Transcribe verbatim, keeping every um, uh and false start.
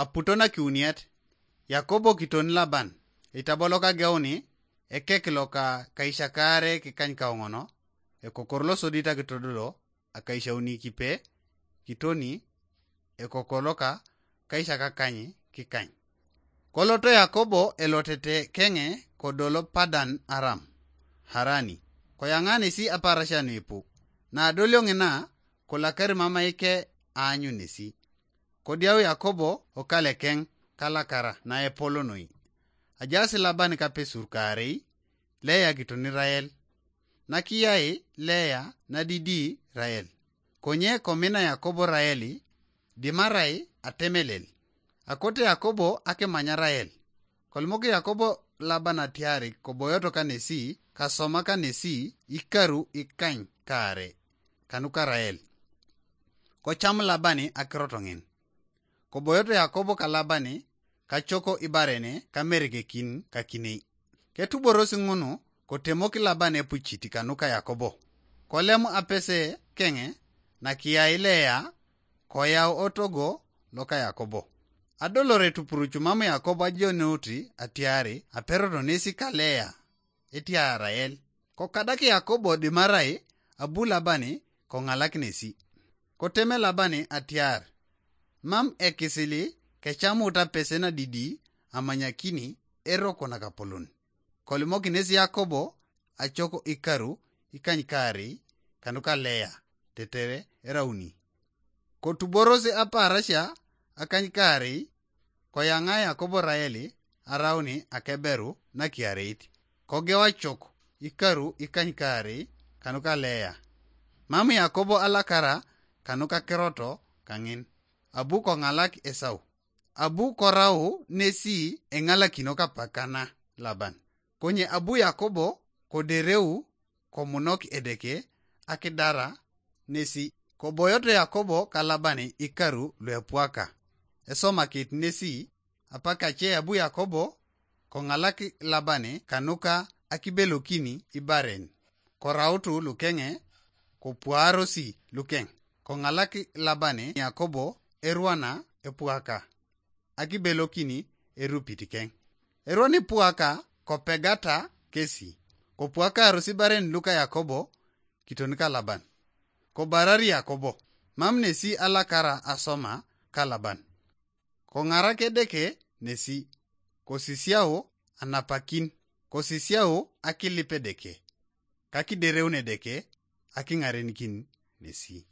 Aputo na kiuniet, Yakobo kitoni Laban, eitabolo kageuni, ekek loka kaishakare kikany kaoŋono, ekokor losodit akitododo, akaishauni kipe, kitoni, ekokor loka kaishakakany kikany. Koloto Yakobo elotete keŋe kodolo Padan Aram, Harani, koyaŋa nesi aparasia nuipu. Na adolio ŋina, kolakari mamaike aanyu nesi. Kodiau Yakobo okalekeŋ kalakara naepol noi. Ajaas Laban kapesur kaarei, Leya kitoni Rael. Nakiyai Leya nadidi Rael. Konye komina Yakobo Raeli, dimarai atemelel. Akote Yakobo akimanya Rael. Kolimok Yakobo Laban atiari koboyoto kanesi, kasoma kanesi, ikaru ikany kaare, kanuka Rael. Kocam Labani akirot ŋin. Koboyoto Yakobo ka Labani, kacoko ibarene kamerekekin kakinei. Ketuborosi ŋunu, kotemok Laban epucit kanuka Yakobo. Kolem apese keŋe, nakiyai Leya, koyau otogo loka Yakobo. Adolore tupurucu mam Yakobo ajoneuti atiari aperoto nesi ka Leya, etia Rael. Kokadak Yakobo dimarai abu Labani koŋalak nesi. Koteme Labani atiar, mam ekisili kecamut apese nadidi amanyakini eroko nakapolon. Kolimok nesi Yakobo acok ikaru ikanykaarei kanuka Leya tetere erauni. Kotuboros apaarasia akanykaarei, koyaŋa Yakobo Raeli arauni akeberu nakiareit. Kogeu acok ikaru ikanykaarei kanuka Leya. Mam Yakobo alakara kanuka keroto kaŋin, abu koŋalak Esau. Abu korau nesi eŋalakino kapakana Laban. Konye abu Yakobo kodereu komunok Edeke akidara nesi. Koboyoto Yakobo ka Laban ikaru luepuaka. Esomakit nesi, apakace abu Yakobo koŋalak Laban kanuka akibelokini ibaren. Korautu lukeŋe, kopuarosi lukeŋ. Koŋalak Laban Yakobo erwana epuaka, akibelokini erupit keŋ. Erwan epuaka kopegata kesi. Kopuakaros ibaren luka Yakobo kiton ka Laban. Kobarari Yakobo, mam nesi alakara asoma ka Laban. Koŋarak Edeke nesi, kosisiau anapakin, kosisiau akilip Edeke, kakidereun Edeke akiŋarenikin nesi.